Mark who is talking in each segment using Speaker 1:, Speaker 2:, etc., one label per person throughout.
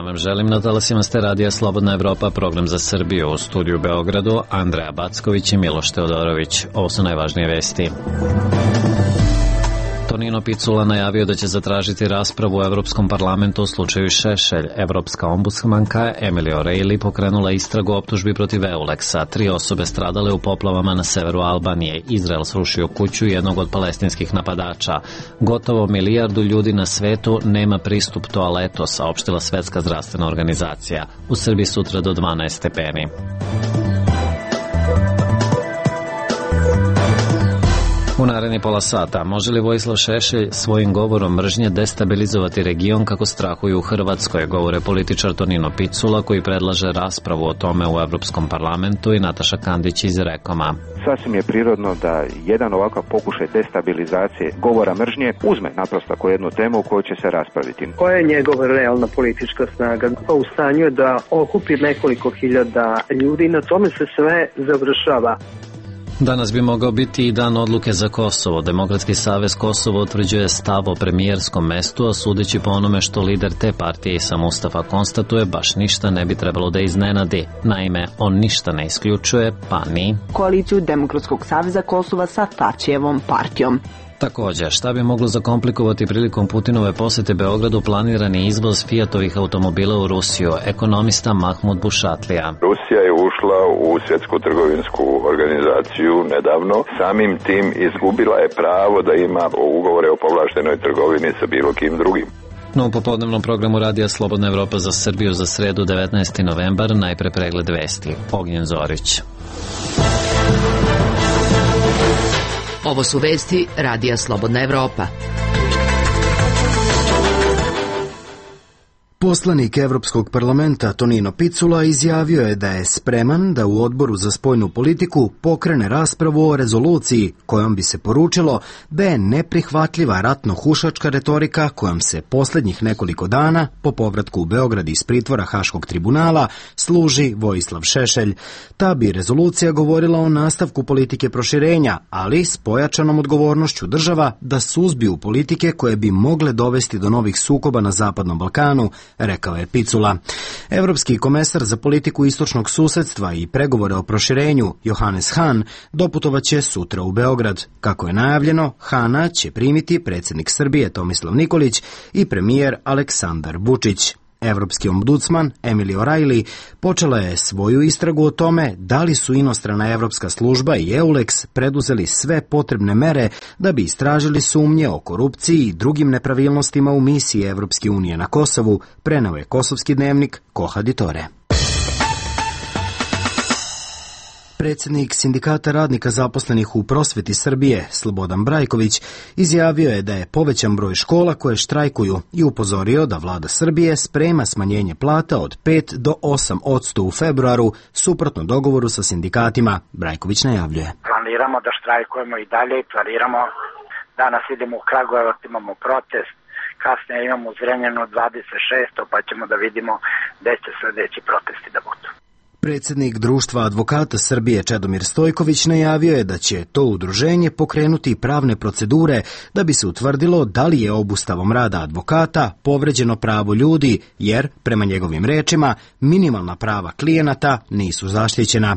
Speaker 1: Ja vam želim na talasima ste radija Slobodna Evropa, program za Srbiju. U studiju u Beogradu Andreja Backović i Miloš Teodorović. Ovo su najvažnije vesti. Tonino Picula najavio da će zatražiti raspravu u Evropskom parlamentu u slučaju Šešelj. Evropska ombudsmanka Emily O'Reilly pokrenula istragu optužbi protiv Euleksa. 3 osobe stradale u poplavama na severu Albanije. Izrael srušio kuću jednog od palestinskih napadača. Gotovo 1 milijardu ljudi na svetu nema pristup toaletu, saopštila Svetska zdravstvena organizacija. U Srbiji sutra do 12 stepeni. U naredni pola sata, može li Vojislav Šešelj svojim govorom mržnje destabilizovati region kako strahuju u Hrvatskoj, govore političar Tonino Picula koji predlaže raspravu o tome u Evropskom parlamentu i Nataša Kandić iz Rekoma.
Speaker 2: Sasvim je prirodno da jedan ovakav pokušaj destabilizacije govora mržnje uzme naprosto ako jednu temu u kojoj će se raspraviti.
Speaker 3: Koja je njegova realna politička snaga? Pa u stanju je da okupi nekoliko hiljada ljudi i na tome se sve završava.
Speaker 1: Danas bi mogao biti i dan odluke za Kosovo. Demokratski savez Kosovo utvrđuje stav o premijerskom mestu, a sudeći po onome što lider te partije Isa Mustafa konstatuje, baš ništa ne bi trebalo da iznenadi. Naime, on ništa ne isključuje, pa ni
Speaker 4: koaliciju Demokratskog saveza Kosova sa Tačijevom partijom.
Speaker 1: Također, šta bi moglo zakomplikovati prilikom Putinove posete Beogradu planirani izvoz Fiatovih automobila u Rusiju, ekonomista Mahmud Bušatlija.
Speaker 5: Rusija je ušla u Svjetsku trgovinsku organizaciju nedavno, samim tim izgubila je pravo da ima ugovore o povlaštenoj trgovini sa bilo kim drugim.
Speaker 1: No, u popodnevnom programu radija Slobodna Evropa za Srbiju za sredu 19. novembar, najpre pregled vesti. Ognjen Zorić.
Speaker 6: Ovo su vesti radija Slobodna Evropa.
Speaker 7: Poslanik Evropskog parlamenta Tonino Picula izjavio je da je spreman da u Odboru za spoljnu politiku pokrene raspravu o rezoluciji kojom bi se poručilo da je neprihvatljiva ratno-hušačka retorika kojom se posljednjih nekoliko dana po povratku u Beograd iz pritvora Haškog tribunala služi Vojislav Šešelj. Ta bi rezolucija govorila o nastavku politike proširenja, ali s pojačanom odgovornošću država da suzbiju politike koje bi mogle dovesti do novih sukoba na Zapadnom Balkanu, rekao je Picula. Evropski komesar za politiku istočnog susedstva i pregovore o proširenju Johannes Hahn doputovaće sutra u Beograd. Kako je najavljeno, Hana će primiti predsjednik Srbije Tomislav Nikolić i premijer Aleksandar Vučić. Evropski ombudsman Emily O'Reilly počela je svoju istragu o tome da li su inostrana evropska služba i EULEX preduzeli sve potrebne mere da bi istražili sumnje o korupciji i drugim nepravilnostima u misiji Evropske unije na Kosovu, preneo je kosovski dnevnik Koha Ditore. Predsjednik Sindikata radnika zaposlenih u prosveti Srbije, Slobodan Brajković, izjavio je da je povećan broj škola koje štrajkuju i upozorio da vlada Srbije sprema smanjenje plata od 5 do 8% u februaru, suprotno dogovoru sa sindikatima. Brajković najavljuje.
Speaker 8: Planiramo da štrajkujemo i dalje, planiramo. Danas idemo u Kragujevac, imamo protest, kasnije imamo u Zrenjaninu 26. pa ćemo da vidimo gde će sledeći protesti da budu.
Speaker 7: Predsjednik Društva advokata Srbije Čedomir Stojković najavio je da će to udruženje pokrenuti pravne procedure da bi se utvrdilo da li je obustavom rada advokata povređeno pravo ljudi, jer, prema njegovim rečima, minimalna prava klijenata nisu zaštićena.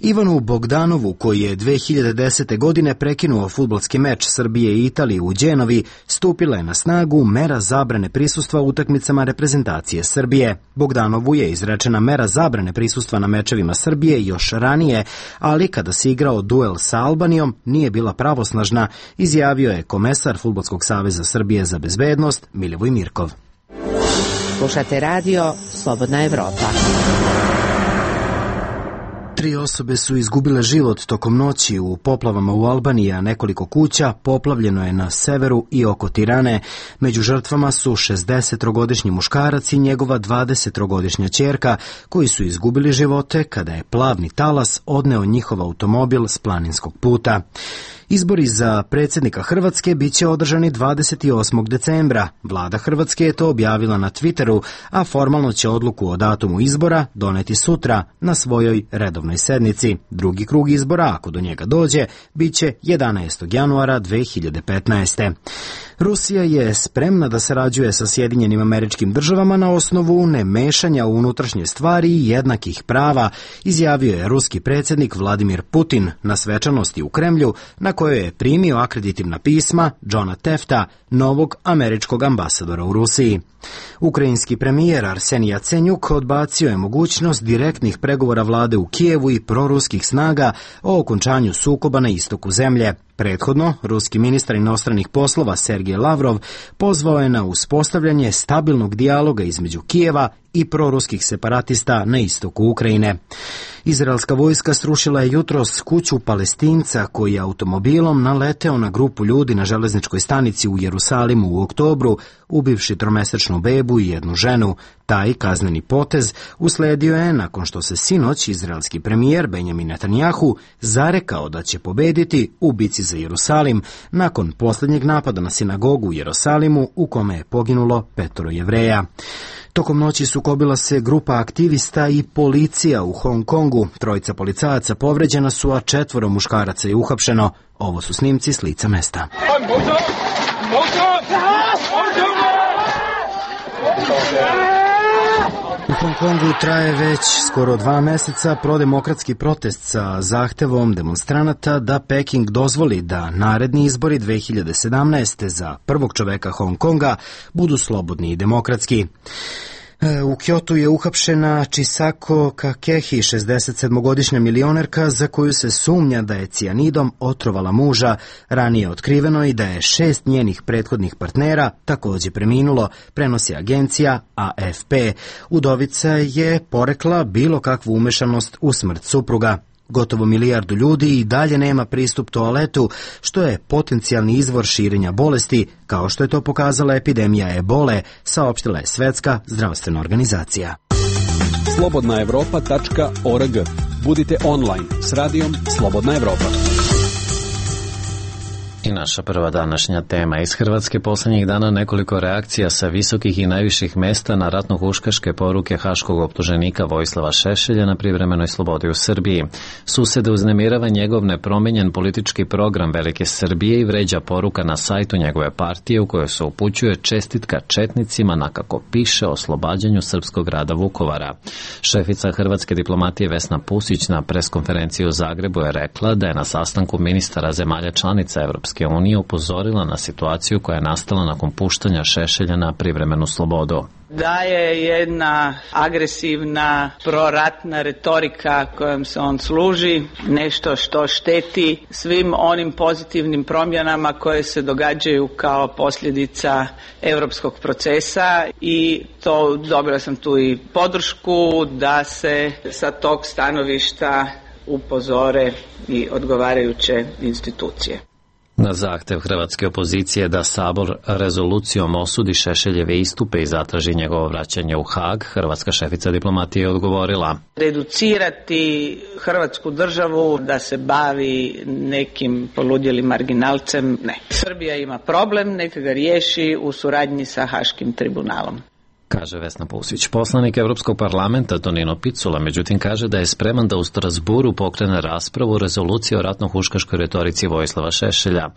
Speaker 7: Ivanu Bogdanovu, koji je 2010. godine prekinuo fudbalski meč Srbije i Italije u Đenovi, stupila je na snagu mera zabrane prisustva u utakmicama reprezentacije Srbije. Bogdanovu je izrečena mera zabrane prisustva na mečevima Srbije još ranije, ali kada se igrao duel sa Albanijom nije bila pravosnažna, izjavio je komesar Fudbalskog saveza Srbije za bezbednost Milivoj Mirkov.
Speaker 6: Slušate radio Slobodna Evropa.
Speaker 7: 3 osobe su izgubile život tokom noći u poplavama u Albaniji, a nekoliko kuća poplavljeno je na severu i oko Tirane. Među žrtvama su 60-godišnji muškarac i njegova 20-godišnja ćerka, koji su izgubili živote kada je plavni talas odneo njihov automobil s planinskog puta. Izbori za predsjednika Hrvatske bit će održani 28. decembra. Vlada Hrvatske je to objavila na Twitteru, a formalno će odluku o datumu izbora doneti sutra na svojoj redovnoj sednici. Drugi krug izbora, ako do njega dođe, bit će 11. januara 2015. Rusija je spremna da sarađuje sa Sjedinjenim Američkim Državama na osnovu nemešanja u unutrašnje stvari i jednakih prava, izjavio je ruski predsjednik Vladimir Putin na svečanosti u Kremlju, na kojoj je primio akreditivna pisma Johna Tefta, novog američkog ambasadora u Rusiji. Ukrajinski premijer Arsenij Jacenjuk odbacio je mogućnost direktnih pregovora vlade u Kijevu i proruskih snaga o okončanju sukoba na istoku zemlje. Prethodno, ruski ministar inostranih poslova Sergej Lavrov pozvao je na uspostavljanje stabilnog dijaloga između Kijeva i proruskih separatista na istoku Ukrajine. Izraelska vojska srušila je jutros kuću Palestinca koji je automobilom naleteo na grupu ljudi na železničkoj stanici u Jerusalimu u oktobru, ubivši tromesečnu bebu i jednu ženu. Taj kazneni potez usledio je nakon što se sinoć izraelski premijer Benjamin Netanjahu zarekao da će pobediti u bici za Jerusalim nakon posljednjeg napada na sinagogu u Jerusalimu u kome je poginulo 5 Jevreja. Tokom noći sukobila se grupa aktivista i policija u Hong Kongu. 3 policajaca povređena su, a 4 muškaraca je uhapšeno. Ovo su snimci s lica mesta. U Hong Kongu traje već skoro 2 mjeseca prodemokratski protest sa zahtevom demonstranata da Peking dozvoli da naredni izbori 2017. za prvog čoveka Hong Konga budu slobodni i demokratski. U Kyotu je uhapšena Chisako Kakehi, 67-godišnja milionerka za koju se sumnja da je cijanidom otrovala muža. Ranije otkriveno i da je 6 njenih prethodnih partnera također preminulo, prenosi agencija AFP. Udovica je porekla bilo kakvu umešanost u smrt supruga. Gotovo 1 milijardu ljudi i dalje nema pristup toaletu, što je potencijalni izvor širenja bolesti, kao što je to pokazala epidemija ebole, saopštila je Svetska zdravstvena organizacija.
Speaker 9: slobodnaevropa.org. Budite online s radijom Slobodna Evropa.
Speaker 1: I naša prva današnja tema iz Hrvatske. Posljednjih dana nekoliko reakcija sa visokih i najviših mesta na ratno-huškaške poruke haškog optuženika Vojislava Šešelja na privremenoj slobodi u Srbiji. Susede uznemirava njegov nepromijenjen politički program Velike Srbije i vređa poruka na sajtu njegove partije u kojoj se upućuje čestitka četnicima na, kako piše, oslobađanju srpskog grada Vukovara. Šefica hrvatske diplomatije Vesna Pusić na preskonferenciji u Zagrebu je rekla da je na sastanku ministara zemalja članica Evropske unije upozorila na situaciju koja je nastala nakon puštanja Šešelja na privremenu slobodu.
Speaker 10: Da je jedna agresivna proratna retorika kojom se on služi nešto što šteti svim onim pozitivnim promjenama koje se događaju kao posljedica europskog procesa, i to dobila sam tu i podršku da se sa tog stanovišta upozore i odgovarajuće institucije.
Speaker 1: Na zahtev hrvatske opozicije da Sabor rezolucijom osudi Šešeljeve istupe i zatraži njegovo vraćanje u Hag, hrvatska šefica diplomatije je odgovorila:
Speaker 10: reducirati Hrvatsku državu da se bavi nekim poludjelim marginalcem, ne. Srbija ima problem, neka ga riješi u suradnji sa Haškim tribunalom,
Speaker 1: kaže Vesna Pusić. Poslanik Europskog parlamenta Tonino Picula međutim kaže da je spreman da u Strasburu pokrene raspravu o rezoluciji o ratno-huškaškoj retorici Vojislava Šešelja.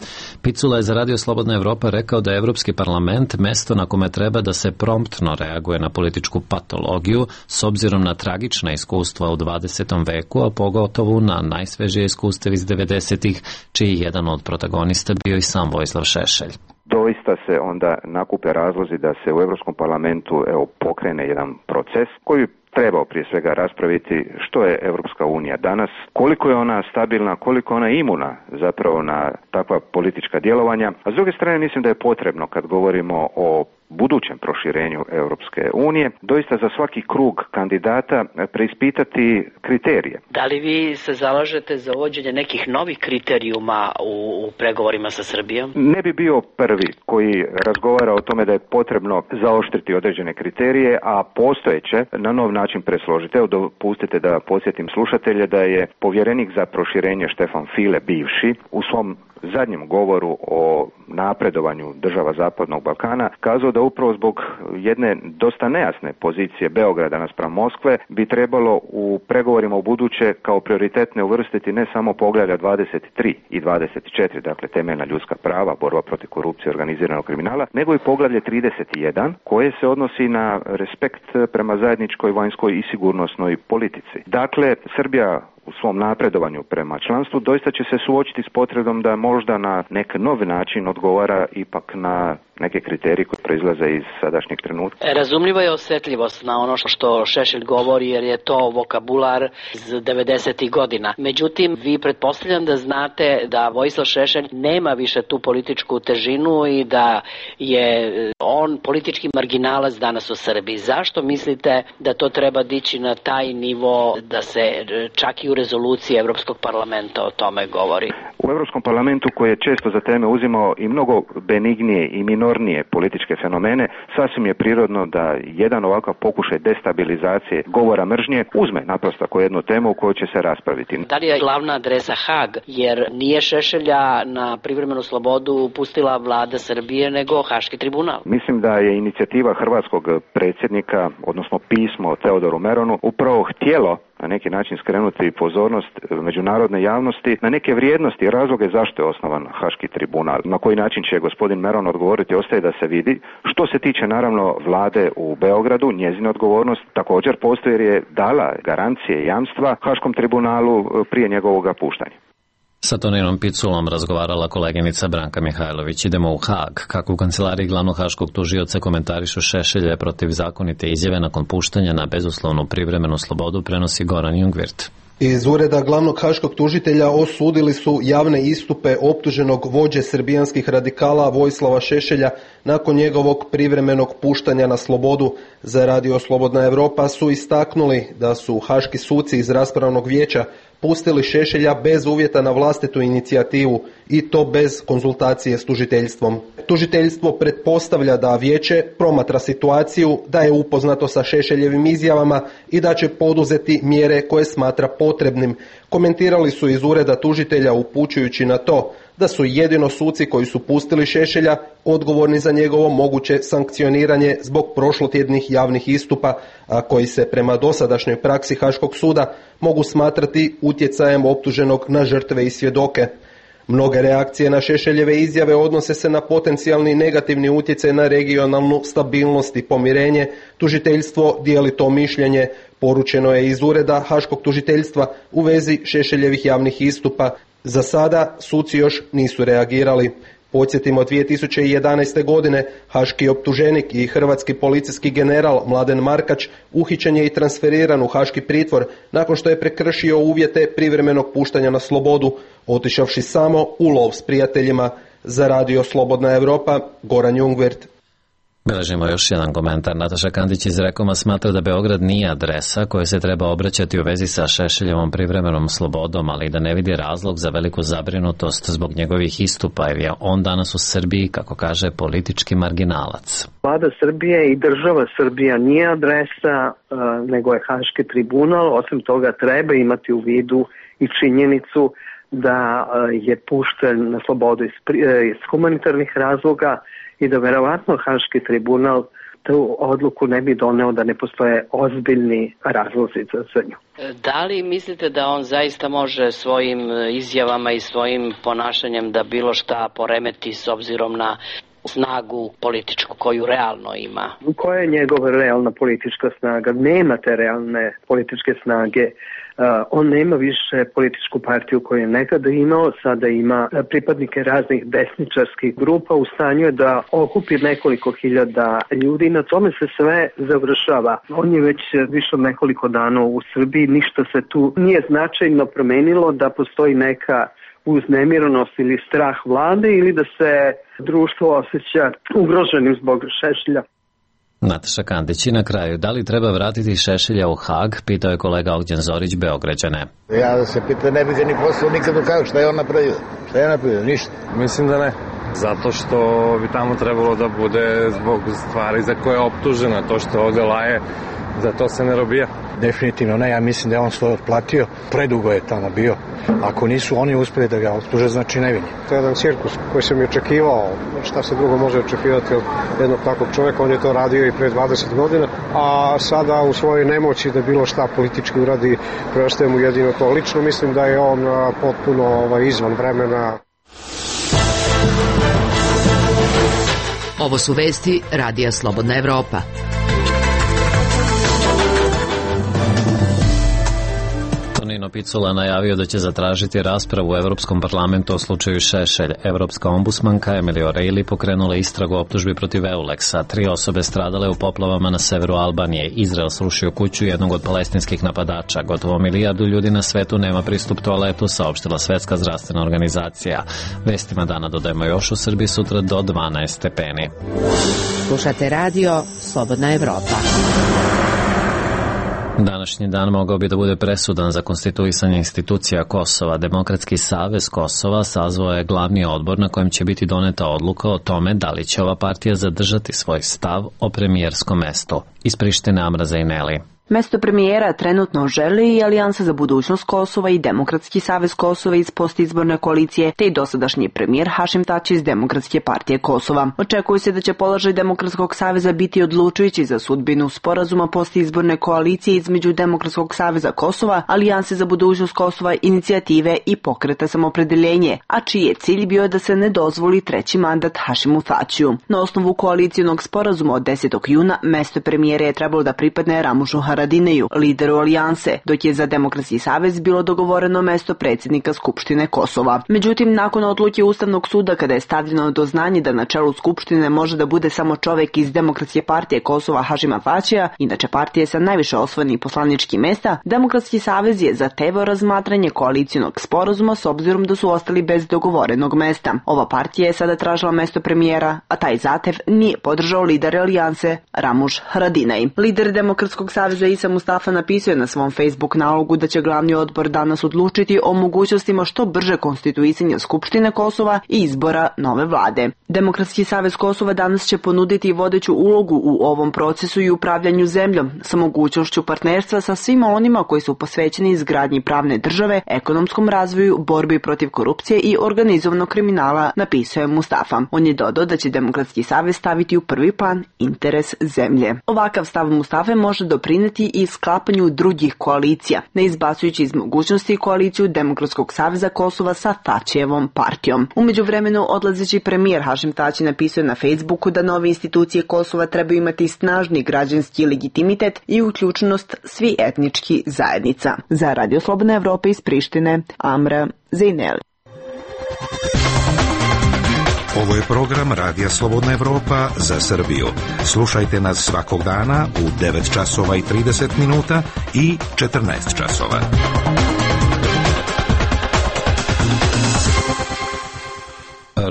Speaker 1: Picula je za Radio Slobodna Evropa rekao da je Europski parlament mesto na kome treba da se promptno reaguje na političku patologiju s obzirom na tragična iskustva u 20. veku, a pogotovo na najsvežije iskustva iz 90-ih, čiji jedan od protagonista bio i sam Vojislav Šešelj.
Speaker 2: Doista se onda nakupe razlozi da se u Europskom parlamentu pokrene jedan proces koji trebao prije svega raspraviti što je Europska unija danas, koliko je ona stabilna, koliko je ona imuna zapravo na takva politička djelovanja. A s druge strane mislim da je potrebno, kad govorimo o budućem proširenju Europske unije, doista za svaki krug kandidata preispitati kriterije.
Speaker 11: Da li vi se zalažete za uvođenje nekih novih kriterijuma u pregovorima sa Srbijom?
Speaker 2: Ne bi bio prvi koji razgovara o tome da je potrebno zaoštriti određene kriterije, a postojeće na nov način presložiti. Evo, dopustite da podsjetim slušatelje da je povjerenik za proširenje Štefan File, bivši, u svom zadnjem govoru o napredovanju država Zapadnog Balkana kazao da upravo zbog jedne dosta nejasne pozicije Beograda naspram Moskve bi trebalo u pregovorima u buduće kao prioritetne uvrstiti ne samo poglavlja 23 i 24, dakle temeljna ljudska prava, borba protiv korupcije i organiziranog kriminala, nego i poglavlje 31 koje se odnosi na respekt prema zajedničkoj vanjskoj i sigurnosnoj politici. Dakle, Srbija u svom napredovanju prema članstvu doista će se suočiti s potrebom da možda na neki novi način odgovara ipak na neke kriterije koje proizlaze iz sadašnjeg trenutka.
Speaker 11: Razumljiva je osjetljivost na ono što Šešelj govori, jer je to vokabular iz 90. godina. Međutim, vi pretpostavljam da znate da Vojislav Šešelj nema više tu političku težinu i da je on politički marginalac danas u Srbiji. Zašto mislite da to treba dići na taj nivo da se čak i u rezoluciji Evropskog parlamenta o tome govori?
Speaker 2: U Evropskom parlamentu, koji je često za teme uzimao i mnogo benignije i minornije političke fenomene, sasvim je prirodno da jedan ovakav pokušaj destabilizacije govora mržnje uzme naprosto kao jednu temu u kojoj će se raspraviti.
Speaker 11: Da li je glavna adresa Hag, jer nije Šešelja na privremenu slobodu pustila vlada Srbije, nego Haški tribunal?
Speaker 2: Mislim da je inicijativa hrvatskog predsjednika, odnosno pismo Teodoru Meronu, upravo htjelo na neki način skrenuti pozornost međunarodne javnosti na neke vrijednosti i razloge zašto je osnovan Haški tribunal. Na koji način će gospodin Meron odgovoriti, ostaje da se vidi. Što se tiče naravno vlade u Beogradu, njezina odgovornost također postoji jer je dala garancije i jamstva Haškom tribunalu prije njegovog puštanja.
Speaker 1: Sa Toninom Piculom razgovarala koleginica Branka Mihajlović. Idemo u Hag. Kako u kancelariji glavnog haškog tužioca komentarišu Šešelje protiv zakonite izjave nakon puštanja na bezuslovnu privremenu slobodu, prenosi Goran Jungwirth.
Speaker 12: Iz ureda glavnog haškog tužitelja osudili su javne istupe optuženog vođe srbijanskih radikala Vojislava Šešelja nakon njegovog privremenog puštanja na slobodu. Za Radio Slobodna Evropa su istaknuli da su haški suci iz raspravnog vijeća pustili Šešelja bez uvjeta na vlastitu inicijativu i to bez konzultacije s tužiteljstvom. Tužiteljstvo pretpostavlja da vijeće promatra situaciju, da je upoznato sa Šešeljevim izjavama i da će poduzeti mjere koje smatra potrebnim. Komentirali su iz ureda tužitelja upućujući na to da su jedino suci koji su pustili Šešelja odgovorni za njegovo moguće sankcioniranje zbog prošlotjednih javnih istupa, a koji se prema dosadašnjoj praksi Haškog suda mogu smatrati utjecajem optuženog na žrtve i svjedoke. Mnoge reakcije na Šešeljeve izjave odnose se na potencijalni negativni utjecaj na regionalnu stabilnost i pomirenje. Tužiteljstvo dijeli to mišljenje. Poručeno je iz ureda Haškog tužiteljstva u vezi Šešeljevih javnih istupa. Za sada suci još nisu reagirali. Podsjetimo, 2011. godine haški optuženik i hrvatski policijski general Mladen Markač uhićen je i transferiran u haški pritvor nakon što je prekršio uvjete privremenog puštanja na slobodu, otišavši samo u lov s prijateljima. Za Radio Slobodna Evropa, Goran Jungwirth.
Speaker 1: Beležimo još jedan komentar. Nataša Kandić iz Rekoma smatra da Beograd nije adresa koje se treba obraćati u vezi sa Šešeljevom privremenom slobodom, ali da ne vidi razlog za veliku zabrinutost zbog njegovih istupa, jer je on danas u Srbiji, kako kaže, politički marginalac.
Speaker 3: Vlada Srbije i država Srbija nije adresa, nego je Haški tribunal. Osim toga treba imati u vidu i činjenicu da je pušten na slobodu iz humanitarnih razloga i da verovatno Haški tribunal tu odluku ne bi doneo da ne postoje ozbiljni razlozi za nju.
Speaker 11: Da li mislite da on zaista može svojim izjavama i svojim ponašanjem da bilo šta poremeti s obzirom na snagu političku koju realno ima?
Speaker 3: Koja je njegova realna politička snaga? Nema te realne političke snage. On nema više političku partiju koju je nekada imao, sada ima pripadnike raznih desničarskih grupa, u stanju je da okupi nekoliko hiljada ljudi, na tome se sve završava. On je već više od nekoliko dana u Srbiji, ništa se tu nije značajno promenilo, da postoji neka uznemirenost ili strah vlade ili da se društvo osjeća ugroženim zbog Šešelja.
Speaker 1: Nataša Kandić. I na kraju, da li treba vratiti Šešelja u Hag, pitao je kolega Ogđen Zorić, Beograđane.
Speaker 13: Ja da se pita, ne bi ga ni poslao nikad u Hag, šta je on napravio? Šta je napravio? Ništa.
Speaker 14: Mislim da ne. Zato što bi tamo trebalo da bude zbog stvari za koje je optužena. To što ovde laje Za to se ne robija.
Speaker 15: Definitivno ne, ja mislim da je on svoje otplatio, predugo je tamo bio. Ako nisu oni uspeli da ga optuže, znači nevin.
Speaker 16: To je jedan cirkus koji sam i očekivao, šta se drugo može očekivati od jednog takvog čovjeka, on je to radio i pre 20 godina, a sada u svojoj nemoći da bilo šta politički uradi, preostaje mu jedino to. Lično mislim da je on potpuno izvan vremena.
Speaker 6: Ovo su vesti Radija Slobodna Evropa.
Speaker 1: Tonino Picula najavio da će zatražiti raspravu u Evropskom parlamentu o slučaju Šešelj. Evropska ombudsmanka Emily O'Reilly pokrenula istragu optužbi protiv Euleksa. 3 osobe stradale u poplavama na severu Albanije. Izrael srušio kuću jednog od palestinskih napadača. Gotovo 1 milijardu ljudi na svetu nema pristup toaletu, saopštila Svetska zdravstvena organizacija. Vestima dana dodajemo još u Srbiji sutra do 12 stepeni.
Speaker 6: Slušate radio Slobodna Evropa.
Speaker 1: Današnji dan mogao bi da bude presudan za konstituisanje institucija Kosova. Demokratski savez Kosova sazvao je glavni odbor na kojem će biti doneta odluka o tome da li će ova partija zadržati svoj stav o premijerskom mestu. Iz Prištine Amra Zajneli.
Speaker 4: Mesto premijera trenutno želi i Alijansa za budućnost Kosova i Demokratski savez Kosova iz postizborne koalicije, te i dosadašnji premijer Hašim Tači iz Demokratske partije Kosova. Očekuje se da će položaj Demokratskog saveza biti odlučujući za sudbinu sporazuma postizborne koalicije između Demokratskog saveza Kosova, Alijanse za budućnost Kosova, Inicijative i Pokreta samopredeljenje, a čiji je cilj bio da se ne dozvoli 3. mandat Hašimu Tačiju. Na osnovu koalicijonog sporazuma od 10. juna mesto premijera je trebalo da pripadne Ramušu Haradineju, lideru Alijanse, dok je za Demokratski savez bilo dogovoreno mesto predsjednika Skupštine Kosova. Međutim, nakon odluke Ustavnog suda kada je stavljeno do znanja da na čelu Skupštine može da bude samo čovjek iz Demokratske partije Kosova Hašima Tačija, inače partije sa najviše osvojenih poslaničkih mesta, Demokratski savez je zahtevao razmatranje koalicijonog sporazuma s obzirom da su ostali bez dogovorenog mesta. Ova partija je sada tražila mesto premijera, a taj zahtev nije podržao lider Alijanse Ramuš Haradinaj. Lider Demokratskog saveza Isa Mustafa napisao je na svom Facebook nalogu da će glavni odbor danas odlučiti o mogućnostima što brže konstituisanja Skupštine Kosova i izbora nove vlade. Demokratski savez Kosova danas će ponuditi vodeću ulogu u ovom procesu i upravljanju zemljom sa mogućnošću partnerstva sa svima onima koji su posvećeni izgradnji pravne države, ekonomskom razvoju, borbi protiv korupcije i organizovanog kriminala, napisao je Mustafa. On je dodao da će Demokratski savez staviti u prvi plan interes zemlje. Ovakav stav Mustafe može doprineti i sklapanju drugih koalicija, ne izbacujući iz mogućnosti koaliciju Demokratskog saveza Kosova sa Tačijevom partijom. U međuvremenu odlazeći premijer Hašim Tači napisao na Facebooku da nove institucije Kosova trebaju imati snažni građanski legitimitet i uključenost svi etnički zajednica. Za Radio Slobodna Evropa iz Prištine, Amra Zajneli.
Speaker 17: Ovo je program Radija Slobodna Evropa za Srbiju. Slušajte nas svakog dana u 9 časova i 30 minuta i 14 časova.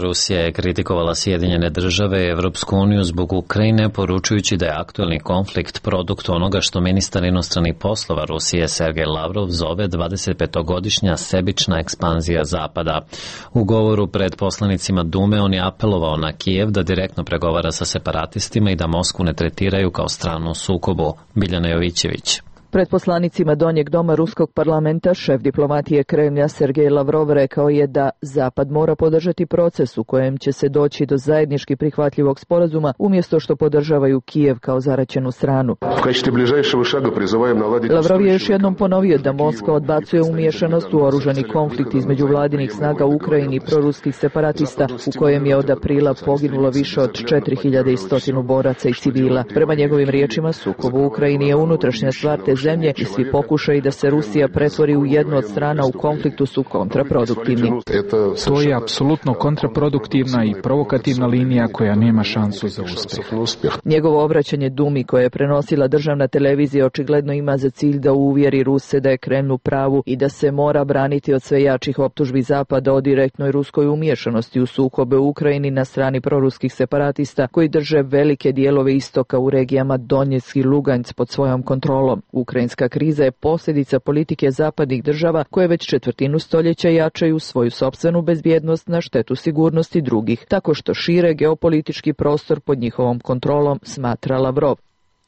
Speaker 1: Rusija je kritikovala Sjedinjene države i Evropsku uniju zbog Ukrajine, poručujući da je aktuelni konflikt produkt onoga što ministar inostranih poslova Rusije Sergej Lavrov zove 25-godišnja sebična ekspanzija Zapada. U govoru pred poslanicima Dume on je apelovao na Kijev da direktno pregovara sa separatistima i da Moskvu ne tretiraju kao stranu u sukobu. Biljana Jovićević.
Speaker 18: Pred poslanicima Donjeg doma Ruskog parlamenta šef diplomatije Kremlja Sergej Lavrov rekao je da Zapad mora podržati proces u kojem će se doći do zajednički prihvatljivog sporazuma umjesto što podržavaju Kijev kao zaraćenu stranu. Lavrov je još jednom ponovio da Moskva odbacuje umiješanost u oružani konflikt između vladinih snaga u Ukrajini i proruskih separatista u kojem je od aprila poginulo više od 4100 boraca i civila. Prema njegovim riječima, sukob u Ukrajini je unutrašnja stvar te zemlje i svi pokušaji da se Rusija pretvori u jednu od strana u konfliktu su kontraproduktivni.
Speaker 19: To je apsolutno kontraproduktivna i provokativna linija koja nema šansu za uspjeh.
Speaker 18: Njegovo obraćanje Dumi koje je prenosila državna televizija očigledno ima za cilj da uvjeri Ruse da je Kreml u pravu i da se mora braniti od sve jačih optužbi Zapada o direktnoj ruskoj umiješanosti u sukobe u Ukrajini na strani proruskih separatista koji drže velike dijelove istoka u regijama Donjeck i Lugansk pod svojom kontrolom. Ukrajinska kriza je posljedica politike zapadnih država koje već četvrtinu stoljeća jačaju svoju sopstvenu bezbjednost na štetu sigurnosti drugih, tako što šire geopolitički prostor pod njihovom kontrolom, smatra Lavrov.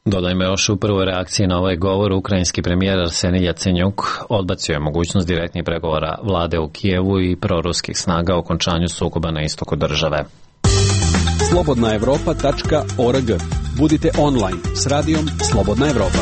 Speaker 1: Dodajmo još u prvoj reakciji na ovaj govor, ukrajinski premijer Arsenij Jacenjuk odbacio je mogućnost direktnih pregovora vlade u Kijevu i proruskih snaga o okončanju sukoba na istoku države.
Speaker 9: slobodnaevropa.org. Budite online s radijom Slobodna Evropa.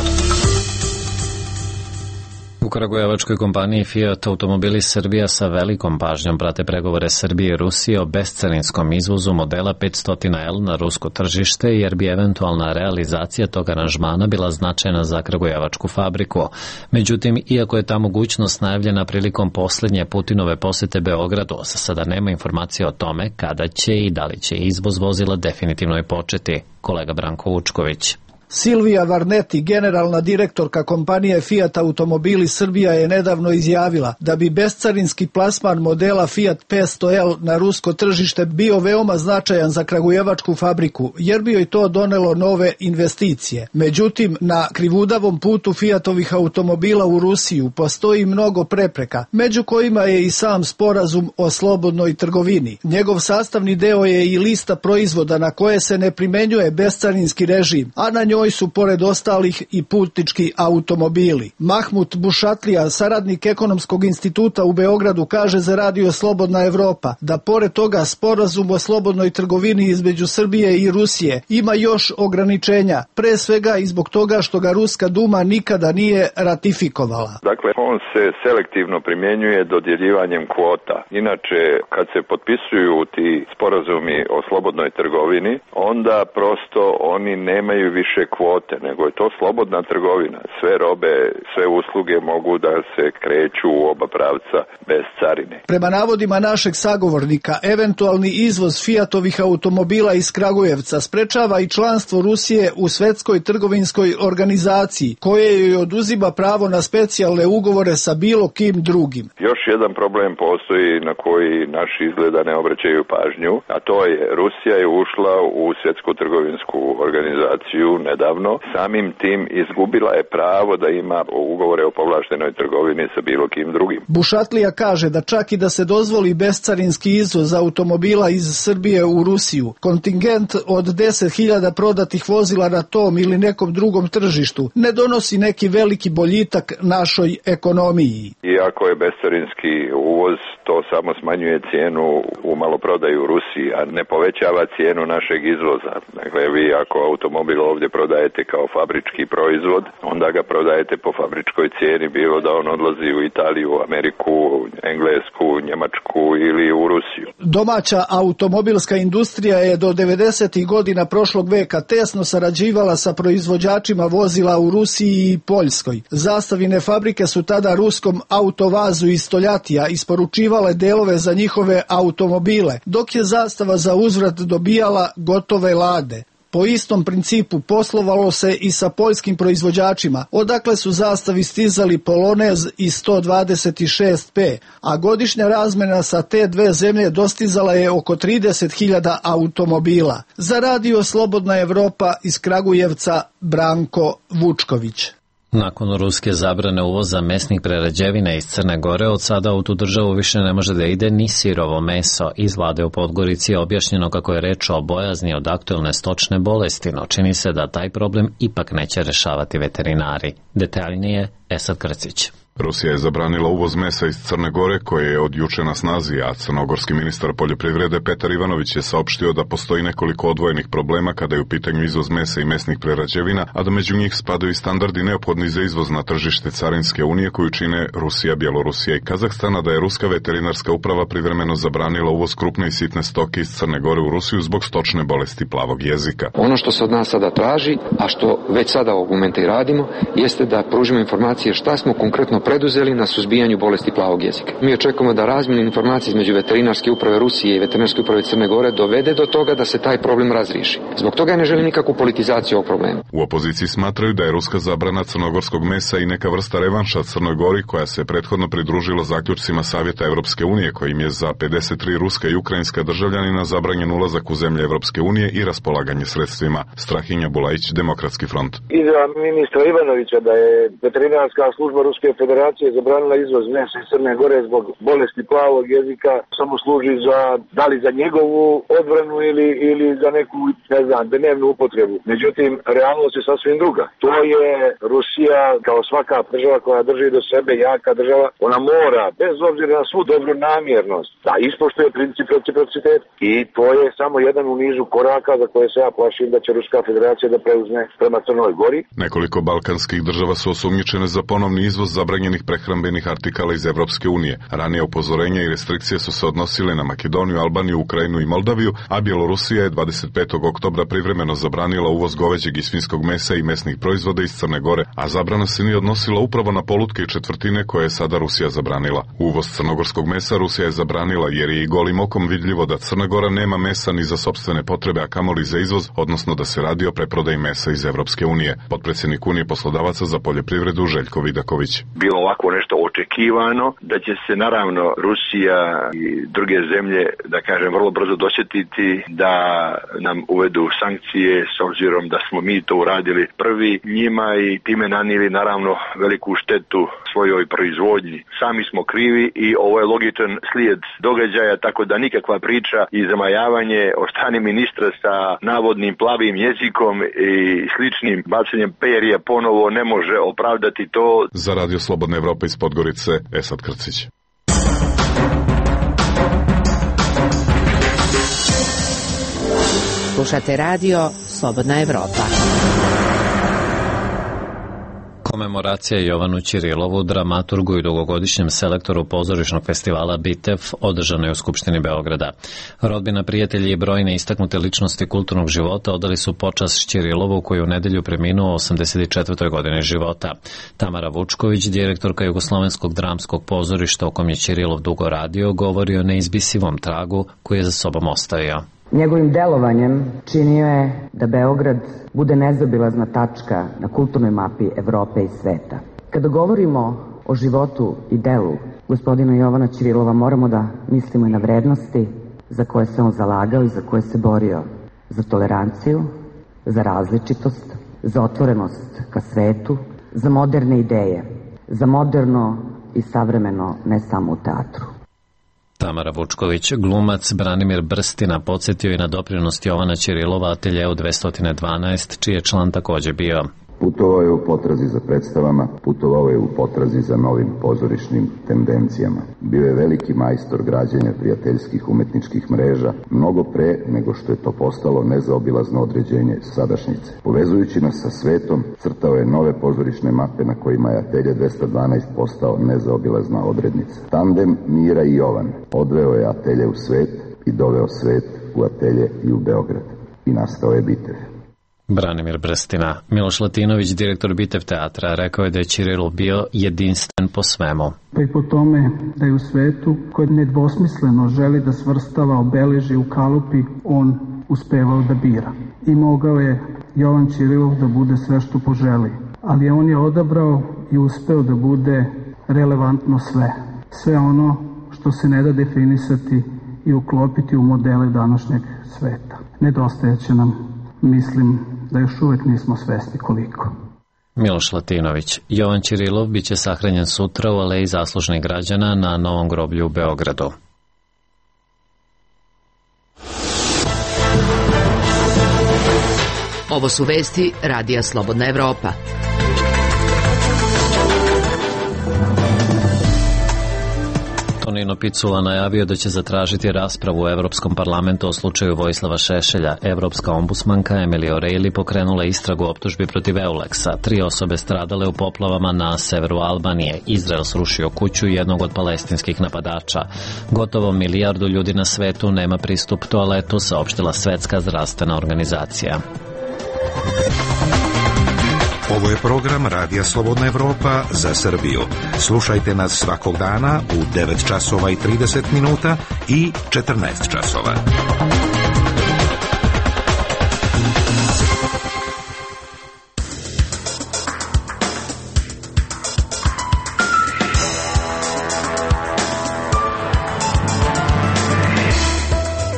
Speaker 1: U kragujevačkoj kompaniji Fiat automobili Srbija sa velikom pažnjom prate pregovore Srbije i Rusije o bescarinskom izvozu modela 500L na rusko tržište, jer bi eventualna realizacija tog aranžmana bila značajna za kragujevačku fabriku. Međutim, iako je ta mogućnost najavljena prilikom posljednje Putinove posete Beogradu, za sada nema informacije o tome kada će i da li će izvoz vozila definitivno i početi. Kolega Branko Vučković.
Speaker 20: Silvija Varneti, generalna direktorka kompanije Fiat Automobili Srbija, je nedavno izjavila da bi bescarinski plasman modela Fiat 500L na rusko tržište bio veoma značajan za kragujevačku fabriku, jer bi joj to donelo nove investicije. Međutim, na krivudavom putu Fiatovih automobila u Rusiju postoji mnogo prepreka, među kojima je i sam sporazum o slobodnoj trgovini. Njegov sastavni deo je i lista proizvoda na koje se ne primenjuje bescarinski režim, a na njoj su pored ostalih i putnički automobili. Mahmut Bušatlija, saradnik Ekonomskog instituta u Beogradu, kaže za Radio Slobodna Evropa da pored toga sporazum o slobodnoj trgovini između Srbije i Rusije ima još ograničenja, pre svega i zbog toga što ga Ruska Duma nikada nije ratifikovala.
Speaker 5: Dakle, on se selektivno primjenjuje dodjeljivanjem kvota. Inače, kad se potpisuju ti sporazumi o slobodnoj trgovini, onda prosto oni nemaju više kvote, nego je to slobodna trgovina. Sve robe, sve usluge mogu da se kreću u oba pravca bez carine.
Speaker 20: Prema navodima našeg sagovornika, eventualni izvoz Fiatovih automobila iz Kragujevca sprečava i članstvo Rusije u Svetskoj trgovinskoj organizaciji, koje joj oduzima pravo na specijalne ugovore sa bilo kim drugim.
Speaker 5: Još jedan problem postoji na koji naši izgleda ne obraćaju pažnju, a to je Rusija je ušla u Svjetsku trgovinsku organizaciju nedavno, samim tim izgubila je pravo da ima ugovore o povlaštenoj trgovini sa bilo kim drugim.
Speaker 20: Bušatlija kaže da čak i da se dozvoli bescarinski izvoz automobila iz Srbije u Rusiju, kontingent od 10.000 prodatih vozila na tom ili nekom drugom tržištu ne donosi neki veliki boljitak našoj ekonomiji.
Speaker 5: Iako je bescarinski uvoz, to samo smanjuje cijenu u maloprodaju u Rusiji, a ne povećava cijenu našeg izvoza. Dakle, vi ako automobil ovdje prodajete kao fabrički proizvod, onda ga prodajete po fabričkoj cijeni, bilo da on odlazi u Italiju, Ameriku, Englesku, Njemačku ili u Rusiju.
Speaker 20: Domaća automobilska industrija je do 90. godina prošlog veka tesno sarađivala sa proizvođačima vozila u Rusiji i Poljskoj. Zastavine fabrike su tada ruskom Autovazu iz Stoljatija isporučivale delove za njihove automobile, dok je Zastava za uzvrat dobijala gotove lade. Po istom principu poslovalo se i sa poljskim proizvođačima, odakle su Zastavi stizali Polonez i 126P, a godišnja razmena sa te dve zemlje dostizala je oko 30.000 automobila. Za Radio Slobodna Evropa iz Kragujevca, Branko Vučković.
Speaker 1: Nakon ruske zabrane uvoza mesnih prerađevina iz Crne Gore, od sada u tu državu više ne može da ide ni sirovo meso. Iz vlade u Podgorici je objašnjeno kako je reč o bojazni od aktuelne stočne bolesti, no čini se da taj problem ipak neće rešavati veterinari. Detaljnije, Esad Krcić.
Speaker 21: Rusija je zabranila uvoz mesa iz Crne Gore, koje je od juče na snazi, a crnogorski ministar poljoprivrede Petar Ivanović je saopštio da postoji nekoliko odvojenih problema kada je u pitanju izvoz mesa i mesnih prerađevina, a da među njih spadaju i standardi neophodni za izvoz na tržište Carinske unije koju čine Rusija, Bjelorusija i Kazahstana, da je Ruska veterinarska uprava privremeno zabranila uvoz krupne i sitne stoke iz Crne Gore u Rusiju zbog stočne bolesti plavog jezika.
Speaker 22: Ono što se od nas sada traži, a što već sada ovog momenta i radimo, jeste da pružimo informacije šta smo konkretno preduzeli na suzbijanju bolesti plavog jezika. Mi očekujemo da razmjena informacija između veterinarske uprave Rusije i veterinarske uprave Crne Gore dovede do toga da se taj problem razriješi. Zbog toga ne želim nikakvu politizaciju ovog problema.
Speaker 21: U opoziciji smatraju da je ruska zabrana crnogorskog mesa i neka vrsta revanša Crnoj Gori, koja se prethodno pridružila zaključcima Savjeta Evropske unije, kojim je za 53 ruska i ukrajinska državljanina zabranjen ulazak u zemlje Evropske unije i raspolaganje sredstvima. Strahinja Bulajić, Demokratski front.
Speaker 23: Izjava ministra Ivanovića da je veterinarska služba Ruske federacije
Speaker 7: federacija je zabranila izvoz mesa iz Crne Gore zbog bolesti plavog jezika, samo služi da li za njegovu odbranu ili za neku, ne znam, dnevnu upotrebu. Međutim, realnost je sasvim druga. To je Rusija, kao svaka država koja drži do sebe, jaka država, ona mora, bez obzira na svu dobru namjernost, da ispoštuje princip reciprociteta. I to je samo jedan u nizu koraka za koje se ja plašim da će Ruska federacija da preuzme prema Crnoj Gori.
Speaker 21: Nekoliko balkanskih država su osumnjičene za ponovni izvoz zabranjenih prehrambenih artikala iz Evropske unije. Ranije upozorenja i restrikcije su se odnosile na Makedoniju, Albaniju, Ukrajinu i Moldaviju, a Bjelorusija je 25. oktobra privremeno zabranila uvoz goveđeg i svinjskog mesa i mesnih proizvoda iz Crne Gore, a zabrana se nije odnosila upravo na polutke i četvrtine koje je sada Rusija zabranila. Uvoz crnogorskog mesa Rusija je zabranila jer je i golim okom vidljivo da Crna Gora nema mesa ni za sopstvene potrebe, a kamoli za izvoz, odnosno da se radi o preprodaji mesa iz Evropske unije. Potpredsjednik Unije poslodavaca za poljoprivredu Željko Vidaković.
Speaker 5: Bilo ovako nešto očekivano, da će se naravno Rusija i druge zemlje, da kažem, vrlo brzo dosjetiti da nam uvedu sankcije s obzirom da smo mi to uradili prvi njima i time nanijeli naravno veliku štetu svojoj proizvodnji. Sami smo krivi i ovo je logičan slijed događaja, tako da nikakva priča i zamajavanje od strane ministra sa navodnim plavim jezikom i sličnim bacanjem perja ponovo ne može opravdati to.
Speaker 21: Za Radio Slobodna Evropa iz Podgorice, Esad Krcić.
Speaker 6: Slušate radio Slobodna Evropa.
Speaker 1: Komemoracija Jovanu Ćirilovu, dramaturgu i dugogodišnjem selektoru pozorišnog festivala Bitev, održana je u Skupštini Beograda. Rodbina, prijatelji i brojne istaknute ličnosti kulturnog života odali su počast Ćirilovu, koji u nedelju preminuo u 84. godini života. Tamara Vučković, direktorka Jugoslovenskog dramskog pozorišta u kom je Ćirilov dugo radio, govori o neizbisivom tragu koji je za sobom ostavio.
Speaker 8: Njegovim delovanjem činio je da Beograd bude nezaobilazna tačka na kulturnoj mapi Evrope i sveta. Kada govorimo o životu i delu gospodina Jovana Ćirilova, moramo da mislimo i na vrednosti za koje se on zalagao i za koje se borio. Za toleranciju, za različitost, za otvorenost ka svetu, za moderne ideje, za moderno i savremeno ne samo u teatru.
Speaker 1: Tamara Vučković, glumac Branimir Brstina, podsjetio i na doprinos Jovana Ćirilova ateljeu 212, čiji je član takođe bio.
Speaker 23: Putovao je u potrazi za predstavama, putovao je u potrazi za novim pozorišnim tendencijama. Bio je veliki majstor građenja prijateljskih umetničkih mreža, mnogo pre nego što je to postalo nezaobilazno određenje sadašnjice. Povezujući nas sa svetom, crtao je nove pozorišne mape na kojima je atelje 212 postao nezaobilazna odrednica. Tandem Mira i Jovan odveo je atelje u svet i doveo svet u atelje i u Beograd. I nastao je Bitev.
Speaker 1: Branimir Brstina. Miloš Latinović, direktor Bitev teatra, rekao je da je Ćirilov bio jedinstven po svemu.
Speaker 24: Pa i po tome da je u svetu koji nedvosmisleno želi da svrstava, obeleži u kalupi, on uspevao da bira. I mogao je Jovan Ćirilov da bude sve što poželi. Ali on je odabrao i uspeo da bude relevantno sve. Sve ono što se ne da definisati i uklopiti u modele današnjeg sveta. Nedostajeće nam, mislim da još uvek nismo svesni koliko.
Speaker 1: Miloš Latinović. Jovan Ćirilov biće sahranjen sutra u Aleji zaslužnih građana na Novom groblju u Beogradu.
Speaker 6: Ovo su vesti Radija Slobodna Evropa.
Speaker 1: Tonino Picula najavio da će zatražiti raspravu u Evropskom parlamentu o slučaju Vojislava Šešelja. Evropska ombudsmanka Emily O'Reilly pokrenula istragu optužbi protiv Euleksa. 3 osobe stradale u poplavama na severu Albanije. Izrael srušio kuću jednog od palestinskih napadača. Gotovo 1 milijardu ljudi na svetu nema pristup toaletu, saopštila Svetska zdravstvena organizacija.
Speaker 17: Ovo je program Radija Slobodna Evropa za Srbiju. Slušajte nas svakog dana u 9 časova i 30 minuta i 14 časova.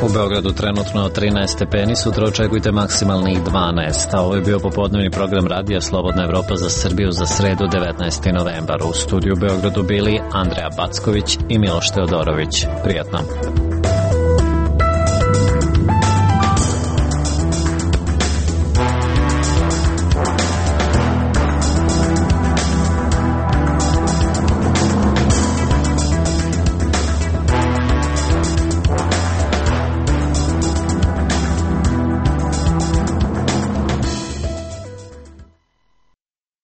Speaker 1: U Beogradu trenutno 13 stepeni, sutra očekujte maksimalnih 12, a ovo je bio popodnevni program Radija Slobodna Evropa za Srbiju za sredu 19. novembar. U studiju u Beogradu bili Andreja Backović i Miloš Teodorović. Prijatno.